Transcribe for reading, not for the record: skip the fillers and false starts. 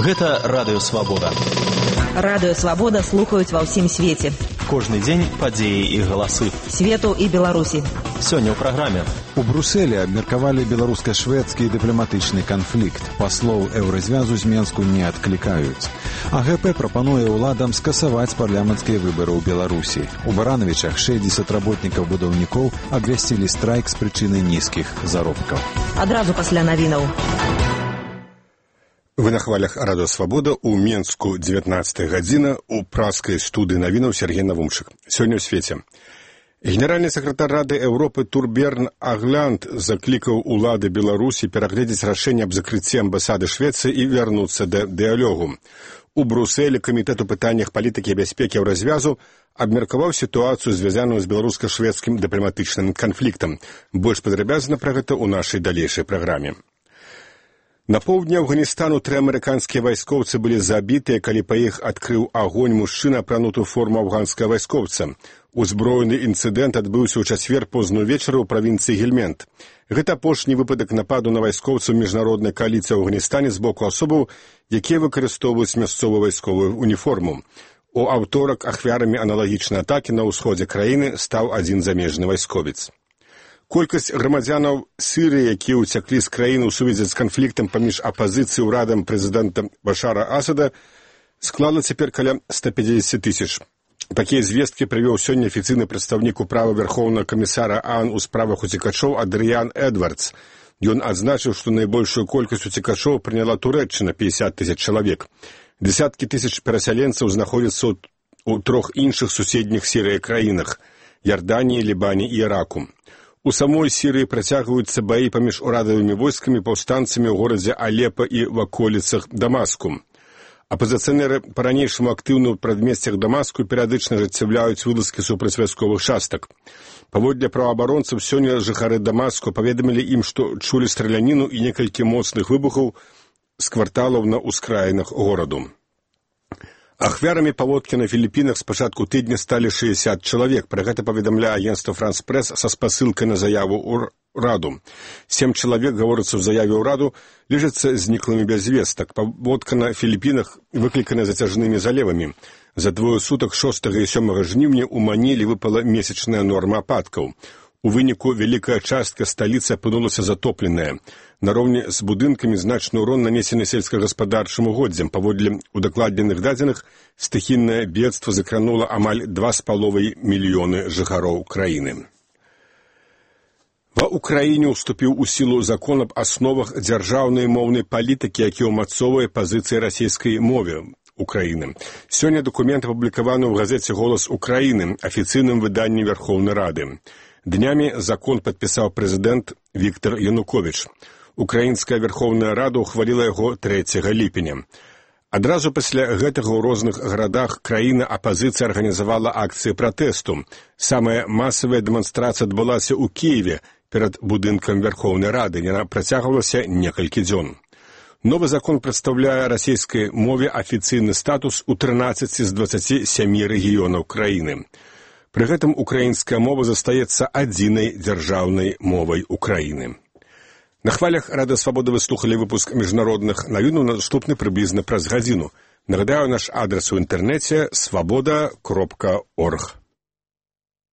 Гэта Радыё Свабода. Радыё Свабода слухаюць ва ўсім свеце. Кожны дзень падзеі і галасы. Свету і Беларусі. Сёння ў праграме. У Брусэлі абмеркавалі беларуска-шведскі дыпламатычны канфлікт. Паслоў еўразвязу з Менску не адклікаюць. АГП прапануе ўладам скасаваць парламенцкія выбары ў Беларусі. У Баранавічах 60 работнікаў-будаўнікоў абвясцілі страйк з прычыны нізкіх заробкаў. Адразу пасля навінаў. Вы на хвалях Радыё Свабода, у Менску 19 гадзіна, у праскай студыі навінаў Сергей Навумчык. Сёння ў свеце. Генеральны сакратар Рады Еўропы Турберн Агланд заклікаў улады Беларусі перагледзець рашэнне аб закрыцці амбасады Швецыі і вярнуцца да дыялогу. У Брусэлі камітэт у пытаннях палітыкі і бяспекі еўразвязу абмеркаваў сітуацыю, звязаную з беларуска-шведскім дыпламатычным канфліктам. Больш падрабязна пра гэта ў нашай далейшай праграме. На поўдні Афганістану 3 амерыканскія вайскоўцы былі забітыя, калі па іх адкрыў агонь мужчына, апрануты ў форму афганскага вайскоўца. Узброены інцыдэнт адбыўся ў чацвер позную вечару ў правінцыі Гельмент. Гэта апошні выпадак нападу на вайскоўцаў міжнароднай кааліцыі ў Афганістане з боку асобаў, якія выкарыстоўваюць мясцовую вайсковую уніформу. У аўторак ахвярамі аналагічнай атакі на ўсходзе краіны стаў адзін замежны вайсковец. Колькасць грамадзянаў Сірыі, якія ўцяклі з краіны ў сувязі з канфліктам паміж апазіцыяй ўрадам прэзідэнта Башара Асада, склала цяпер каля 150 тысяч. Такія звесткі прывёў сёння афіцыйны прадстаўнік управы Верхоўнага камісара АОН у справах уцекачоў Адрыян Эдвардс. Ён адзначыў, што найбольшую колькасць уцекачоў прыняла Турэччына 50 тысяч чалавек. Дзесяткі тысяч перасяленцаў знаходзяцца ў 3 іншых суседніх Сірыі краінах – Ярданіі, Лібане і Іраку. У самой Сірыі працягваюцца баі паміж урадавымі войскамі, паўстанцамі ў горадзе Алепа і ваколіцах Дамаску. Апазіцыянеры па-ранейшаму актыўна ў прадмесцях Дамаску перыядычна ажыццяўляюць вылазкі супраць вайсковых частак. Паводле праваабаронцаў, сёння жыхары Дамаску паведамілі ім, што чулі страляніну і некалькі моцных выбухаў з кварталаў на ўскраінах гораду. Ахвярамі паводкі на Філіпінах з пачатку тыдня сталі 60 чалавек. Пра гэта паведамляе агенцтва «Франс Прэс» са спасылкай на заяву ўраду. 7 чалавек, гаворыцца ў заяве ўраду, лежацца зніклымі без вестак. Паводка на Філіпінах выклікана зацяжнымі залевамі. За 2 сутак 6 і 7 жніўня ў Манілі выпала месячная норма ападкаў. У выніку вялікая частка сталіцы апынулася затопленая. Нароўні з будынкамі значны ўрон нанесены сельскагаспадарчым угоддзям. Паводле удакладненых дадзеных, стыхійнае бедства закранула амаль 2,5 мільёны жыхароў краіны. Ва Ўкраіне ўступіў у сілу закон аб асновах дзяржаўнай моўнай палітыкі, які ўмацоўвае пазіцыі расійскай мове Украіны. Сёння дакумент апублікаваны ў газеце «Голас Украіны», афіцыйным выданні Верхоўнай Рады. Днямі закон падпісаў прэзідэнт Віктар Януковіч. Украінская Верхоўная Рада ухваліла яго 3 ліпеня. Адразу пасля гэтага ў розных гарадах краіны апазіцыя арганізавала акцыі пратэсту. Самая масавая дэманстрацыя адбылася ў Кіеве перад будынкам Верхоўнай Рады. Яна працягвалася некалькі дзён. Новы закон прадстаўляе расійскай мове афіцыйны статус у 13 з 27 рэгіёнаў краіны. Пры гэтым украінская мова застаецца адзінай дзяржаўнай мовай Украіны. На хвалях Радыё Свабода вы слухалі выпуск міжнародных навінаў, наступны прыблізна праз гадзіну. Нагадаю, наш адрас у інтэрнэце – swaboda.org.